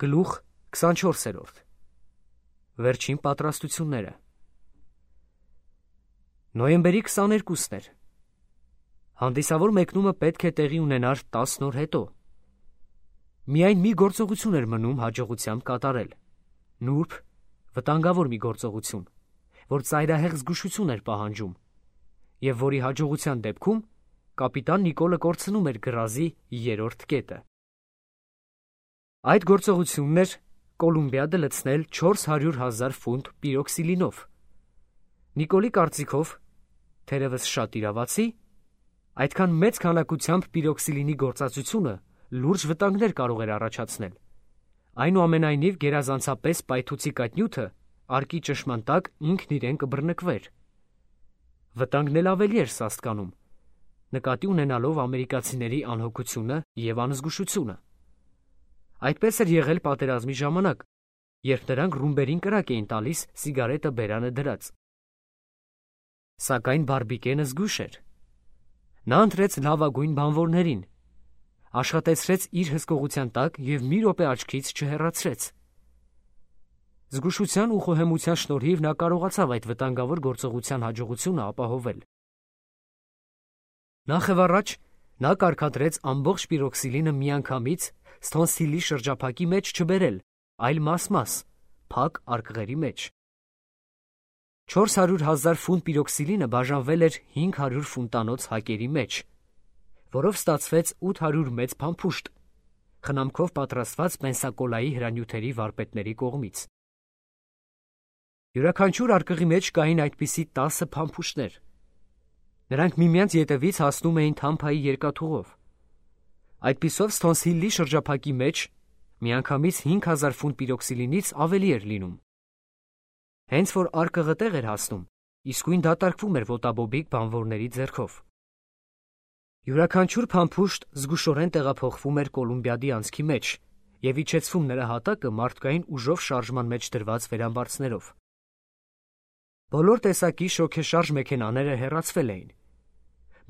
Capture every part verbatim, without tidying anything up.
Գլուխ քսանչորսերորդ Վերջին պատրաստությունները Նոյեմբերի քսաներկուսն էր։ Հանդիսավոր մեկնումը պետք է տեղի ունենար տասն օր հետո։ Միայն մի գործողություն էր մնում հաջողությամբ կատարել։ Նուրբ, վտանգավոր մի գործողություն, որ ծայրահեղ զգուշություն էր պահանջում, և որի հաջողության դեպքում կապիտան Նիկոլը կորցնում էր գրազի երրորդ կետը։ Այդ գործողությունն էր Կոլումբիադը լցնել չորս հարյուր հազար ֆունտ պիրոքսիլինով։ Նիկոլի կարծիքով, թերևս շատ իրավացի, այդքան մեծ քանակությամբ պիրոքսիլինի գործածությունը լուրջ վտանգներ կարող էր առաջացնել։ Այնուամենայնիվ գերազանցապես պայթուցի կաթնյութը արկի ճնշման տակ ինքն իրեն կբռնկվեր։ Վտանգն էլ ավելի էր սաստկանում, նկատի ունենալով ամերիկացիների անհոգությունը և անզգուշությունը։ Այդպես էր եղել պատերազմի ժամանակ, երբ նրանք ռումբերին կրակ էին տալիս սիգարետը բերանը դրած։ Սակայն Բարբիկենը զգույշ էր։ Նա ընտրեց լավագույն բանվորներին, աշխատեցրեց իր հսկողության տակ և մի րոպե աչքից չհեռացրեց։ Զգուշության ու խոհեմության շնորհիվ նա կարողացավ այդ վտանգավոր գործողության հաջողությունը ապահովել։ Նախևառաջ նա կարգադրեց ամբողջ պիրոքսիլինը միանգամից Սթոնսիլի շրջափակի մեջ չբերել, այլ մաս-մաս, փակ արկղերի մեջ։ Չորս հարյուր հազար ֆունտ պիրոքսիլինը բաժանվել էր հինգ հարյուր ֆունտանոց հակերի մեջ, որով ստացվեց ութ հարյուր մեծ փամփուշտ, խնամքով պատրաստված պենսակոլայի հրանյութերի վարպետների կողմից։ Յուրաքանչյուր արկղի մեջ կային այդպիսի տասը փամփուշտներ։ Նրանք միմյանց ետևից հասնում էին Թամփայի երկաթուղով։ Այդպիսով Սթոնսիլի շրջափակի մեջ միանգամից հինգ հազար ֆունտ պիրոքսիլինից ավելի էր լինում։ Հենց որ արկղը տեղ էր հասնում, իսկույն դատարկվում էր ոտաբոբիկ բանվորների ձեռքով։ Յուրաքանչյուր փամփուշտ զգուշորեն տեղափոխվում էր Կոլումբիադի անցքի մեջ և իջեցվում նրա հատակը մարդկային ուժով շարժման մեջ դրված վերամբարձներով։ Բոլոր տեսակի շոգեշարժ մեքենաները հեռացվել էին,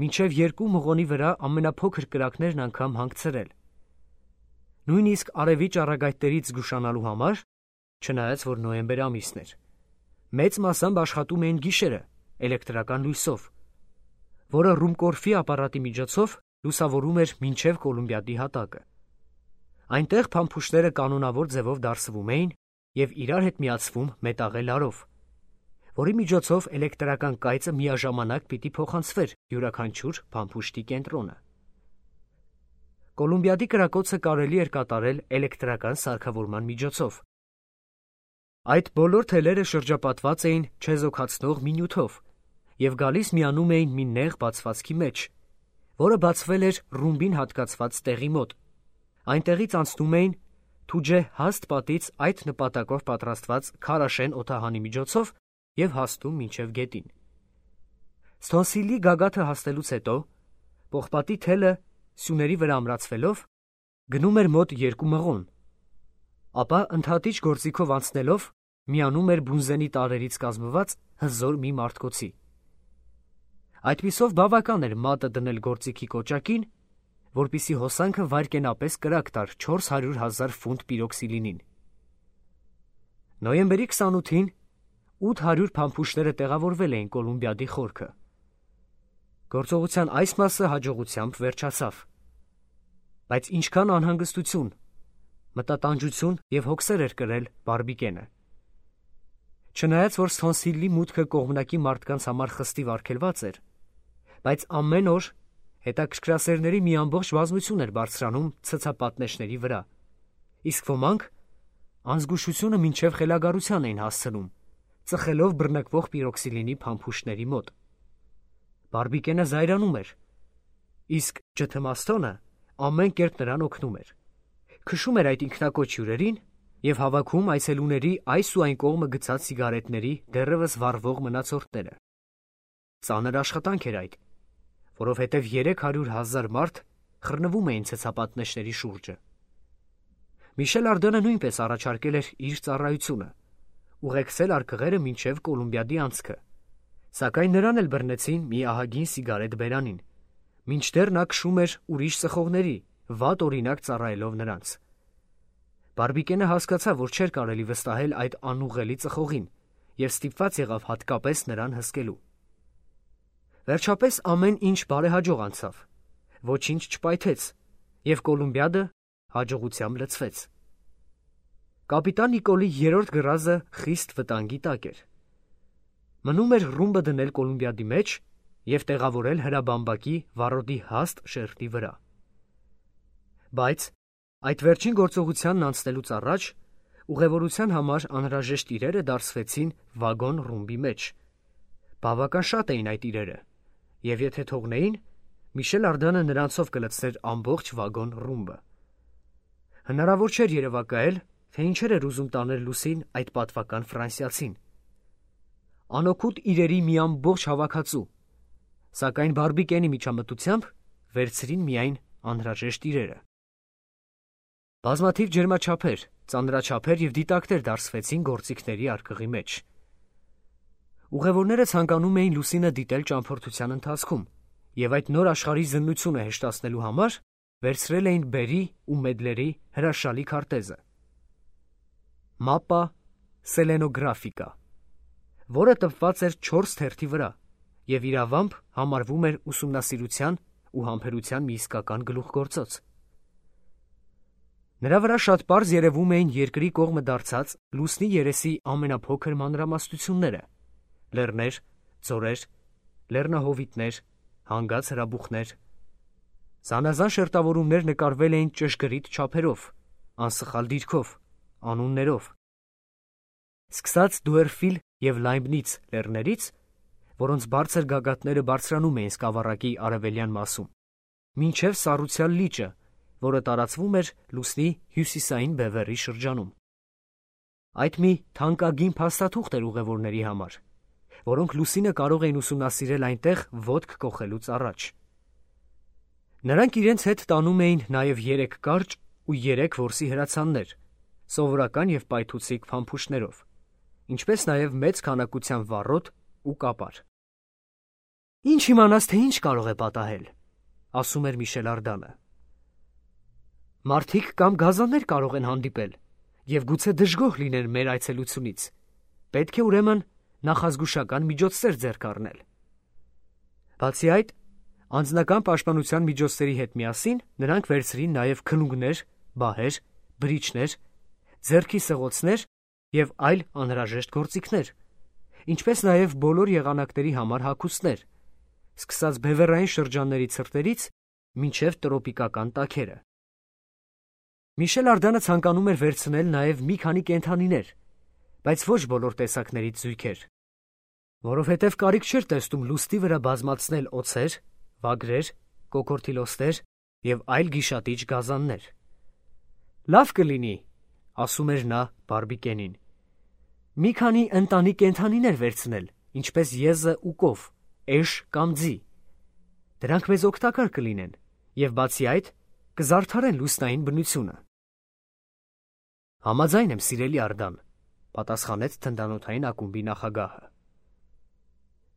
մինչև երկու մղոնի վրա ամենափոքր կրակներն անգամ հանգցրել։ Նույնիսկ արևի ճառագայթներից զգուշանալու համար, չնայած որ նոյեմբեր ամիսն էր, մեծ մասամբ աշխատում էին գիշերը էլեկտրական լույսով, որը Ռումկորֆի ապարատի միջոցով լուսավորում էր մինչև Կոլումբիադի հատակը։ Այնտեղ փամփուշտները կանոնավոր ձևով դարսվում էին և իրար հետ միացվում մետաղե լարով, որի միջոցով էլեկտրական կայծը միաժամանակ պիտի փոխանցվեր յուրաքանչյուր փամփուշտի կենտրոնը։ Կոլումբիադի կրակոցը կարելի էր կատարել էլեկտրական սարքավորման միջոցով։ Այդ բոլոր թելերը շրջապատված էին չեզոքացնող մի նյութով և գալիս միանում էին մի նեղ բացվածքի մեջ, որը բացվել էր ռումբին հատկացված տեղի մոտ։ Այնտեղից անցնում էին թուջե հաստ պատից այդ նպատակով պատրաստված քարաշեն օդահանի միջոցով և հասնում մինչև գետին։ Սթոնսիլի գագաթը հասնելուց հետո պողպատի թելը սյուների վրա ամրացվելով գնում էր մոտ երկու մղոն, ապա ընդհատիչ գործիքով անցնելով միանում էր բունզենի տարրերից կազմված հզոր մի մարտկոցի։ Այդպիսով բավական էր մատը դնել գործիքի կոճակին, որպեսզի հոսանքը վայրկենապես կրակ տար չորս հարյուր հազար ֆունտ պիրոքսիլինին։ Նոյեմբերի քսանութին ութ հարյուր փամփուշտները տեղավորվել էին Կոլումբիադի խորքը։ Գործողության այս մասը հաջողությամբ վերջացավ։ Բայց ինչքան անհանգստություն, մտատանջություն և հոգսեր էր կրել Բարբիկենը։ Չնայած որ Սթոնսիլի մուտքը կողմնակի մարդկանց համար խստիվ արգելված էր, բայց ամեն օր հետաքրքրասերների մի ամբողջ բազմություն էր բարձրանում ցցապատնեշների վրա, իսկ ոմանք անզգուշությունը մինչև խելագարության էին հասցնում, ծխելով բռնկվող պիրոքսիլինի փամփուշտների մոտ։ Բարբիկենը զայրանում էր, իսկ Ջթմաստոնը ամեն կերպ նրան օգնում էր, քշում էր այդ ինքնակոչ հյուրերին և հավաքում այցելուների այս ու այն կողմը գցած սիգարետների դեռևս վառվող մնացորդները։ Ծանր աշխատանք էր այդ, որովհետև երեք հարյուր հազար մարդ խռնվում էին ցցապատնեշների շուրջը։ Միշել Արդենը նույնպես առաջարկել էր իր ծառայությունը, ուղեկցել արկղերը մինչև Կոլումբիադի անցքը, սակայն նրան էլ բռնեցին մի ահագին սիգարետ բերանին, մինչդեռ նա քշում էր ուրիշ ծխողների, վատ օրինակ ծառայելով նրանց։ Բարբիկենը հասկացավ, որ չէր կարելի վստահել այդ անուղղելի ծխողին և ստիպված եղավ հատկապես նրան հսկելու։ Վերջապես ամեն ինչ բարեհաջող անցավ, ոչինչ չպայթեց, և Կոլումբիադը հաջողությամբ լցվեց։ Կապիտան Նիկոլի երրորդ գռազը խիստ վտանգի տակ էր։ Մնում էր ռումբը դնել Կոլումբիադի մեջ և տեղավորել հրաբամբակի վառոդի հաստ շերտի վրա։ Բայց այդ վերջին գործողությանն անցնելուց առաջ ուղևորության համար անհրաժեշտ իրերը դարսվեցին վագոն ռումբի մեջ։ Բավական շատ էին այդ իրերը, և եթե թողնեին, Միշել Արդանը նրանցով կլցներ ամբողջ վագոն ռումբը։ Հնարավոր չէր երևակայել, թե ինչեր էր ուզում տանել լուսին այդ պատվական ֆրանսիացին։ Անօգուտ իրերի մի ամբողջ հավաքածու, սակայն Բարբիկենի միջամտությամբ վերցրին միայն անհրաժեշտ իրերը։ Բազմաթիվ ջերմաչափեր, ծանրաչափեր և դիտակներ դարսվեցին գործիքների արկղի մեջ։ Ուղևորները ցանկանում էին լուսինը դիտել ճամփորդության ընթացքում և այդ նոր աշխարհի զննությունը հեշտացնելու համար վերցրել էին Բերի ու Մեդլերի հրաշալի քարտեզը (Mappa Selenographica), որը տպված էր չորս թերթի վրա և իրավամբ համարվում էր ուսումնասիրության ու համբերության մի իսկական գլուխգործոց։ Նրա վրա շատ պարզ երևում էին երկրի կողմը դարձած լուսնի երեսի ամենափոքր մանրամասնությունները՝ լեռներ, ձորեր, լեռնահովիտներ, հանգած հրաբուխներ։ Զանազան շերտավորումներ նկարվել էին ճշգրիտ չափերով, անսխալ դիրքով, անուններով։ Սկսած Դուերֆիլ և Լայբնից լեռներից, որոնց բարձր գագաթները բարձրանում էին սկավառակի արևելյան մասում, մինչև Սառուցյալ լիճը, որը տարածվում էր լուսնի հյուսիսային բևեռի շրջանում։ Այդ մի թանկագին փաստաթուղթ էր ուղևորների համար, որոնք լուսինը կարող էին ուսումնասիրել այնտեղ ոտք կոխելուց առաջ։ Նրանք իրենց հետ տանում էին նաև երեք կարճ ու երեք որսի հրացաններ, սովորական և պայթուցիկ փամփուշտներով, ինչպես նաև մեծ քանակությամբ վառոդ ու կապար։ «Ինչ իմանաս, թե ինչ կարող է պատահել», ասում էր Միշել Արդանը։ «Մարդիկ կամ գազաններ կարող են հանդիպել և գուցե դժգոհ լինեն մեր այցելությունից, պետք է ուրեմն նախազգուշական միջոցներ ձեռք առնել։ Բացի այդ, անձնական պաշտպանության միջոցների հետ միասին նրանք վերցրին նաև քլունգներ, բահեր, բրիչներ, ձեռքի սղոցներ և այլ անհրաժեշտ գործիքներ, ինչպես նաև բոլոր եղանակների համար հագուստներ, սկսած բևեռային շրջանների ցրտերից մինչև տրոպիկական տաքերը։ Միշել Արդանը ցանկանում էր վերցնել նաև մի քանի կենդանիներ, բայց ոչ բոլոր տեսակներից զույգեր, որովհետև կարիք չէր տեսնում լուսնի վրա բազմացնել օձեր, վագրեր, կոկորդիլոսներ և այլ գիշատիչ գազաններ։ «Լավ կլինի», ասում էր նա Բարբիկենին, «մի քանի ընտանի կենդանիներ վերցնել, ինչպես եզը ու կով, էշ կամ ձի։ Դրանք մեզ օգտակար կլինեն և բացի այդ կզարդարեն լուսնային բնությունը»։ «Համաձայն եմ, սիրելի Արդան», պատասխանեց թնդանոթային ակումբի նախագահը։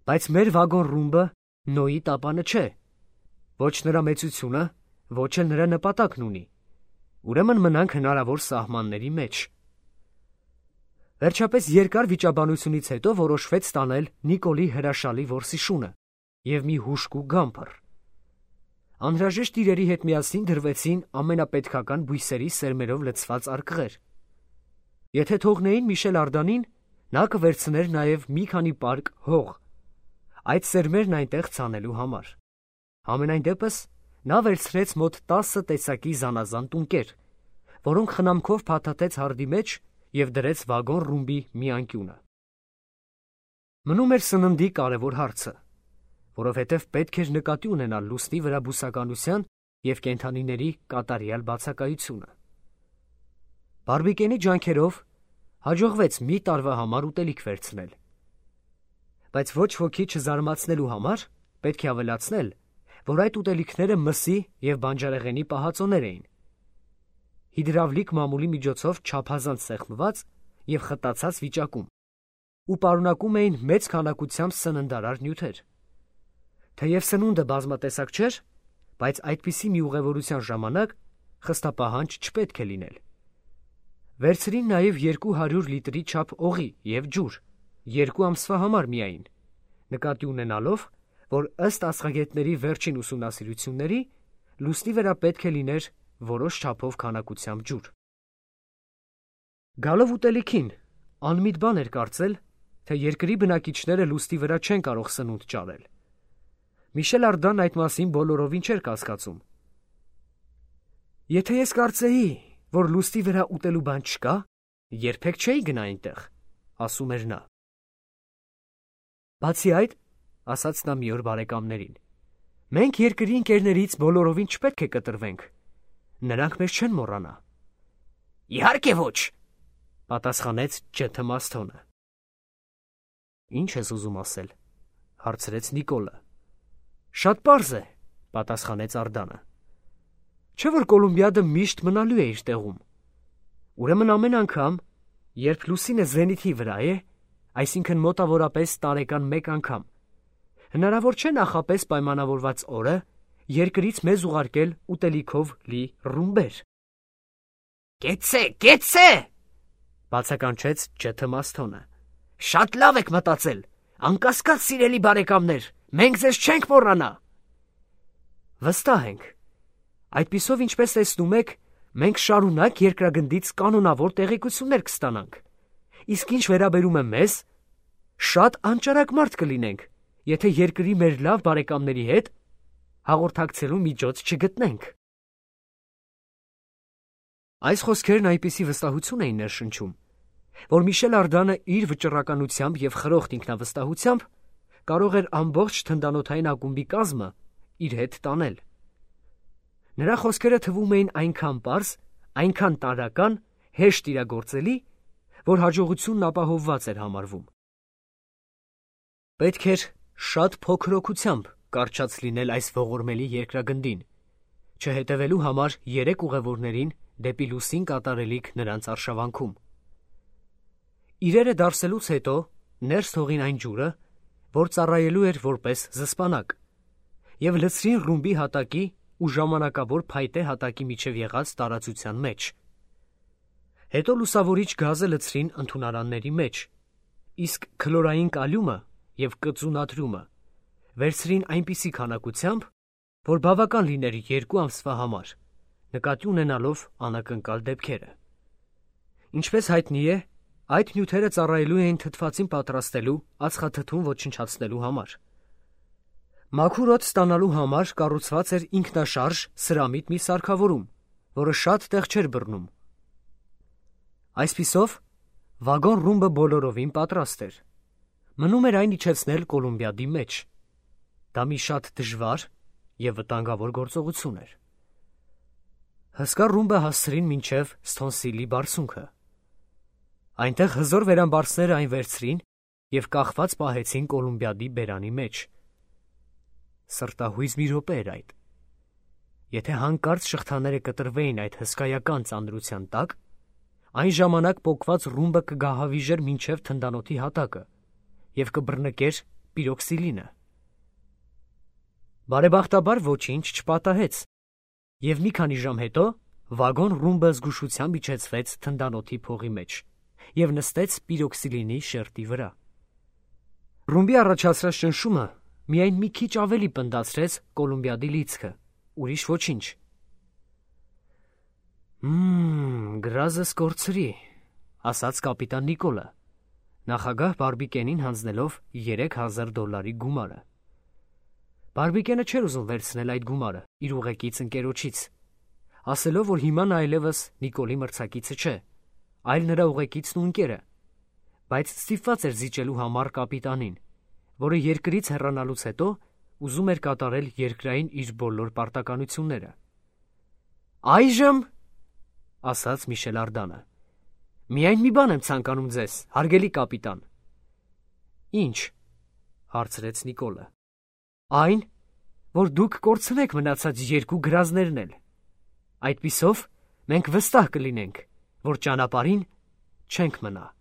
«Բայց մեր վագոն ռումբը Նոյի տապանը չէ, ոչ նրա մեծությունը, ոչ էլ նրա նպատակն ունի, ուրեմն մնանք հնարավոր սահմանների մեջ»։ Վերջապես երկար վիճաբանությունից հետո որոշվեց տանել Նիկոլի հրաշալի որսի շունը և մի հուժկու գամփր։ Անհրաժեշտ իրերի հետ միասին դրվեցին ամենապետքական բույսերի սերմերով լցված արկղեր։ Եթե թողնեին Միշել Արդանին, նա կվերցներ նաև մի քանի պարկ հող, այդ սերմերն այնտեղ ցանելու համար։ Համենայն դեպս նա վերցրեց մոտ տասը տեսակի զանազան տունկեր, որոնք խնամքով փաթաթեց հարդի մեջ և դրեց վագոն ռումբի մի անկյունը։ Մնում էր սննդի կարևոր հարցը, որովհետև պետք էր նկատի ունենալ լուսնի վրա բուսականության և կենդանիների կատարյալ բացակայությունը։ Բարբիկենի ջանքերով հաջողվեց մի տարվա համար ուտելիք վերցնել։ Բայց ոչ ոքի չզարմացնելու համար պետք է ավելացնել, որ այդ ուտելիքները մսի և բանջարեղենի պահածոներ էին, հիդրավլիկ մամուլի միջոցով չափազանց սեղմված և խտացած վիճակում ու պարունակում էին մեծ քանակությամբ սննդարար նյութեր։ Թեև սնունդը բազմատեսակ չէր, բայց այդպիսի մի ուղևորության ժամանակ խստապահանջ չպետք է լինել։ Վերցրին նաև երկու հարյուր լիտրի չափ օղի և ջուր, երկու ամսվա համար միայն, նկատի ունենալով, որ ըստ աստղագետների վերջին ուսումնասիրությունների լուսնի վրա պետք է լիներ որոշ չափով քանակությամբ ջուր։ Գալով ուտելիքին, անմիտ բան էր կարծել, թե երկրի բնակիչները լուսնի վրա չեն կարող սնունդ ճարել։ Միշել Արդան այդ մասին բոլորովին չէր կասկածում։ Եթե ես կարծեի, որ լուսնի վրա ուտելու բան չկա, երբեք չէի գնա այնտեղ, ասում էր նա։ Բացի այդ, ասաց նա մի օր բարեկամներին, մենք երկրի ընկերներից բոլորովին չպետք է կտրվենք, նրանք մեզ չեն մոռանա։ Իհարկե ոչ, պատասխանեց Ջ. Մասթոնը։ Ինչ ես ուզում ասել, հարցրեց Նիկոլը։ Շատ պարզ է, պատասխանեց Արդանը։ Չէ՞ որ Կոլումբիադը միշտ մնալու է իր տեղում։ Ուրեմն ամեն անգամ, երբ լուսինը զենիթի վրա է, այսինքն մոտավորապես տարեկան մեկ անգամ, հնարավոր չէ նախապես պայմանավորված օրը երկրից մեզ ուղարկել ուտելիքով լի ռումբեր։ Կեցե, կեցե, բացականչեց Ջ. Մասթոնը։ Շատ լավ եք մտածել, անկասկած սիրելի բարեկամներ, մենք ձեզ չենք մոռանա։ Վստահ ենք։ Այդպիսով, ինչպես տեսնում եք, մենք շարունակ երկրագնդից կանոնավոր տեղեկություններ կստանանք։ Իսկ ինչ վերաբերում է մեզ, շատ անճարակ մարդ կլինենք, եթե երկրի մեր լավ բարեկամների հետ հաղորդակցելու միջոց չգտնենք։ Այս խոսքերն այնպիսի վստահություն էին ներշնչում, որ Միշել Արդանը իր վճռականությամբ և խրոխտ ինքնավստահությամբ կարող էր ամբողջ թնդանոթային ակումբի կազմը իր հետ տանել։ Նրա խոսքերը թվում էին այնքան պարզ, այնքան տարրական, հեշտ իրագործելի, որ հաջողությունն ապահովված էր համարվում։ Պետք էր շատ փոքր օգությամբ կարճած լինել այս ողորմելի երկրագնդին, չհետևելու համար երեք ուղևորներին դեպի լուսին կատարելիք նրանց արշավանքում։ Իրերը դարսելուց հետո ներս թողին այն ջուրը, որ ծառայելու էր որպես զսպանակ, և լցրին ռումբի հատակի ու ժամանակավոր փայտե հատակի միջև եղած տարածության մեջ։ Հետո լուսավորիչ գազը լցրին ընդունարանների մեջ, իսկ քլորային կալիումը և կծու նատրիումը վերցրին այնպիսի քանակությամբ, որ բավական լիներ երկու ամսվա համար, նկատի ունենալով անակնկալ դեպքերը։ Ինչպես հայտնի է, այդ նյութերը ծառայելու էին թթվածին պատրաստելու ածխաթթուն ոչնչացնելու համար։ Մաքուր օդ ստանալու համար կառուցված էր ինքնաշարժ սրամիտ մի սարքավորում, որը շատ տեղ չէր բռնում։ Այսպիսով, վագոն ռումբը բոլորովին պատրաստ էր։ Մնում էր այն իջեցնել Կոլումբիադի մեջ։ Դա մի շատ դժվար և վտանգավոր գործողություն էր։ Հսկա ռումբը հասցրին մինչև Սթոնսիլի բարձունքը։ Այնտեղ հզոր վերամբարձները այն վերցրին և կախված պահեցին Կոլումբիադի բերանի մեջ։ Սրտահույզ մի րոպե էր այդ։ Եթե հանկարծ շղթաները կտրվեին այդ հսկայական ծանրության տակ, այն ժամանակ պոկված ռումբը կգահավիժեր մինչև թնդանոթի հատակը և կբռնկեր պիրոքսիլինը։ Բարեբախտաբար ոչինչ չպատահեց, և մի քանի ժամ հետո վագոն ռումբը զգուշությամբ իջեցվեց թնդանոթի փողի մեջ և նստեց պիրոքսիլինի շերտի վրա։ Ռումբի առաջացրած ճնշումը միայն մի քիչ ավելի պնդացրեց Կոլումբիադի լիցքը, ուրիշ ոչինչ։ «Մմ, գրազս կորցրի», ասաց կապիտան Նիկոլը, նախագահ Բարբիկենին հանձնելով երեք հազար դոլարի գումարը։ Բարբիկենը չէր ուզում վերցնել այդ գումարը իր ուղեկից ընկերոջից, ասելով, որ հիմա նա այլևս Նիկոլի մրցակիցը չէ, այլ նրա ուղեկիցն ու ընկերը, բայց ստիպված էր զիջելու համար կապիտանին, որը երկրից հեռանալուց հետո ուզում էր կատարել երկրային իր բոլոր պարտականությունները։ «Այժմ, — ասաց Միշել Արդանը, — միայն մի բան եմ ցանկանում ձեզ, հարգելի կապիտան»։ «Ինչ?» հարցրեց Նիկոլը։ «Այն, որ դուք կորցնեք մնացած երկու գրազներն էլ։ Այդպիսով մենք վստահ կլինենք, որ ճանապարհին չենք մնա»։